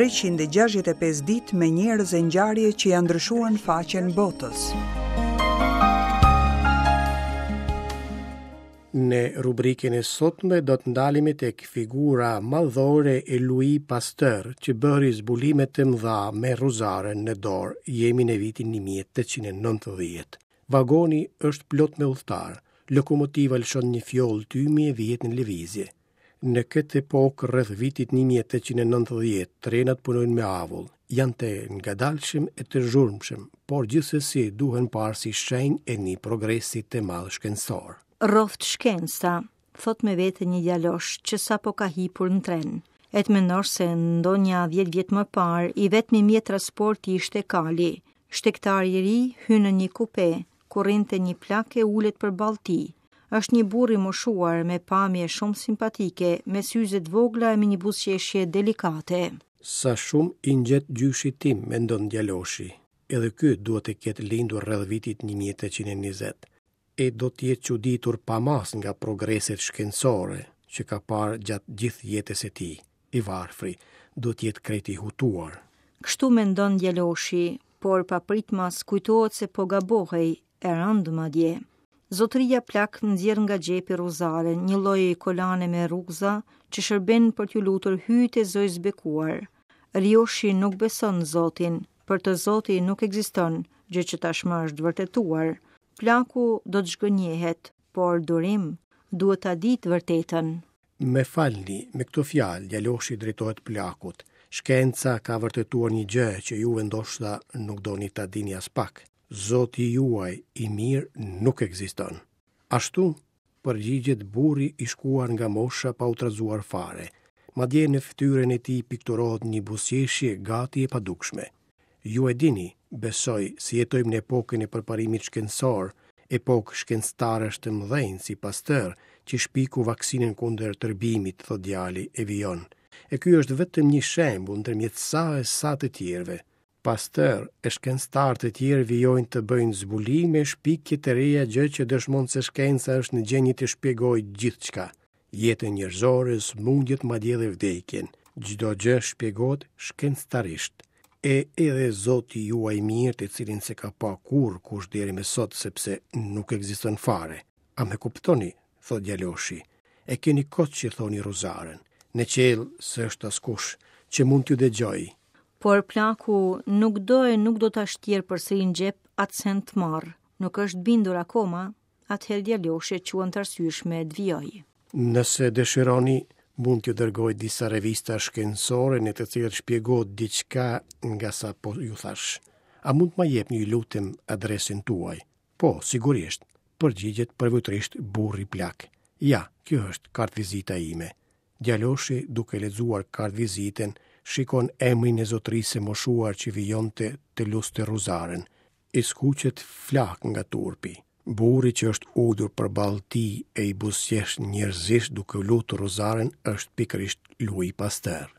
365 ditë me njerëz e ngjarje që ia ndryshuan faqen botës. Në rubrikën e sotme do të ndalemi tek figura madhore e Louis Pasteur, që bëri zbulime të mëdha me rruzaren në dorë. Jemi në vitin 1890. Vagoni është plot me udhëtarë. Lokomotiva lëshon një fjollë tymi e vihet në lëvizje. Në këtë epokë, rreth vitit 1890, trenat punojnë me avull. Janë të ngadalshëm e të zhurmshëm, por gjithsesi duhen parë si shenjë e një progresi të madh shkencor. Rroftë shkenca, thotë me vete një djalosh që sapo ka hipur në tren. E të mendosh se ndonja 10 vjet më parë, i vetmi mjet transporti ishte kali. Shtegtari i ri hyn në një kupe, ku rrinte një plak e ulet përballë tij. Është një burrë i moshuar me pamje shumë simpatike, me syze të vogla e me një buzëqeshje delikate. Sa shumë i ngjet gjyshit tim, mendon djaloshi. Edhe ky duhet të ketë lindur rreth vitit 1820. E do të jetë çuditur pa masë nga progreset shkencore që ka parë gjatë gjithë jetës së tij. I varfri, do të jetë krejt i hutuar. Kështu mendon djaloshi, por papritmas kujtohet se po gabohej, e rëndë madje. Zotëria plak nxjerr nga xhepi rruzaren, një lloj kolane me rrugëza që shërben për t'u lutur hyjtë e Zojës së Bekuar. Rioshi nuk beson Zotin, për të Zoti nuk ekziston, gjë që tashmë është vërtetuar. Plaku do të zhgënjehet, por durim, duhet ta dijë të vërtetën. Më falni, me këto fjalë, djaloshi i drejtohet plakut. Shkenca ka vërtetuar një gjë që juve ndoshta nuk doni ta dini aspak. Zoti juaj i mirë nuk ekziston. Ashtu? Përgjigjet burri i shkuar nga mosha pa u trazuar fare. Madje në fytyrën e tij pikturohet një buzëqeshje gati e padukshme. Ju e dini, besoj, se jetojmë në epokën e përparimit shkencor, epokë shkencëtarësh të mëdhenj si Pasteur, që shpiku vaksinën kundër tërbimit, thotë djali e vijon. E ky është vetëm një shembull ndërmjet sa e sa të tjerëve. Pasteur e shkencëtarë të tjerë vijojnë të bëjnë zbulime e shpikje të reja gjë që dëshmon se shkenca është në gjendje të shpjegojë gjithçka, jetën njerëzore, sëmundjet madje edhe vdekjen. Çdo gjë shpjegohet shkencëtarisht. E edhe Zoti juaj i mirë të cilin s'e ka pa kurrë kush deri më sot sepse nuk ekziston fare. A më kuptoni? thotë djaloshi. E keni kot që thoni rruzaren. Në qiell s'është askush që mund t'ju dëgjojë. Por plaku nuk do e nuk do ta shtjerë përsëri në xhep atë send të marrë. Nuk është bindur akoma, atëherë djaloshi e quan të arsyeshme të vijojë. Nëse dëshironi, mund t'ju dërgoj disa revista shkencore në të cilat shpjegohet diçka nga sa po ju thashë. A mund të ma jepni ju lutem adresën tuaj? Po, sigurisht, përgjigjet përvujtërisht burri plak. Ja, kjo është kartëvizita ime. Djaloshi, duke lexuar kartëvizitën, shikon emrin e zotërisë së moshuar që vijonte të luste rruzaren. I skuqet flakë nga turpi. Burri që është ulur përballë tij e i buzëqesh njerëzisht duke lutur rruzaren është pikërisht Louis Pasteur.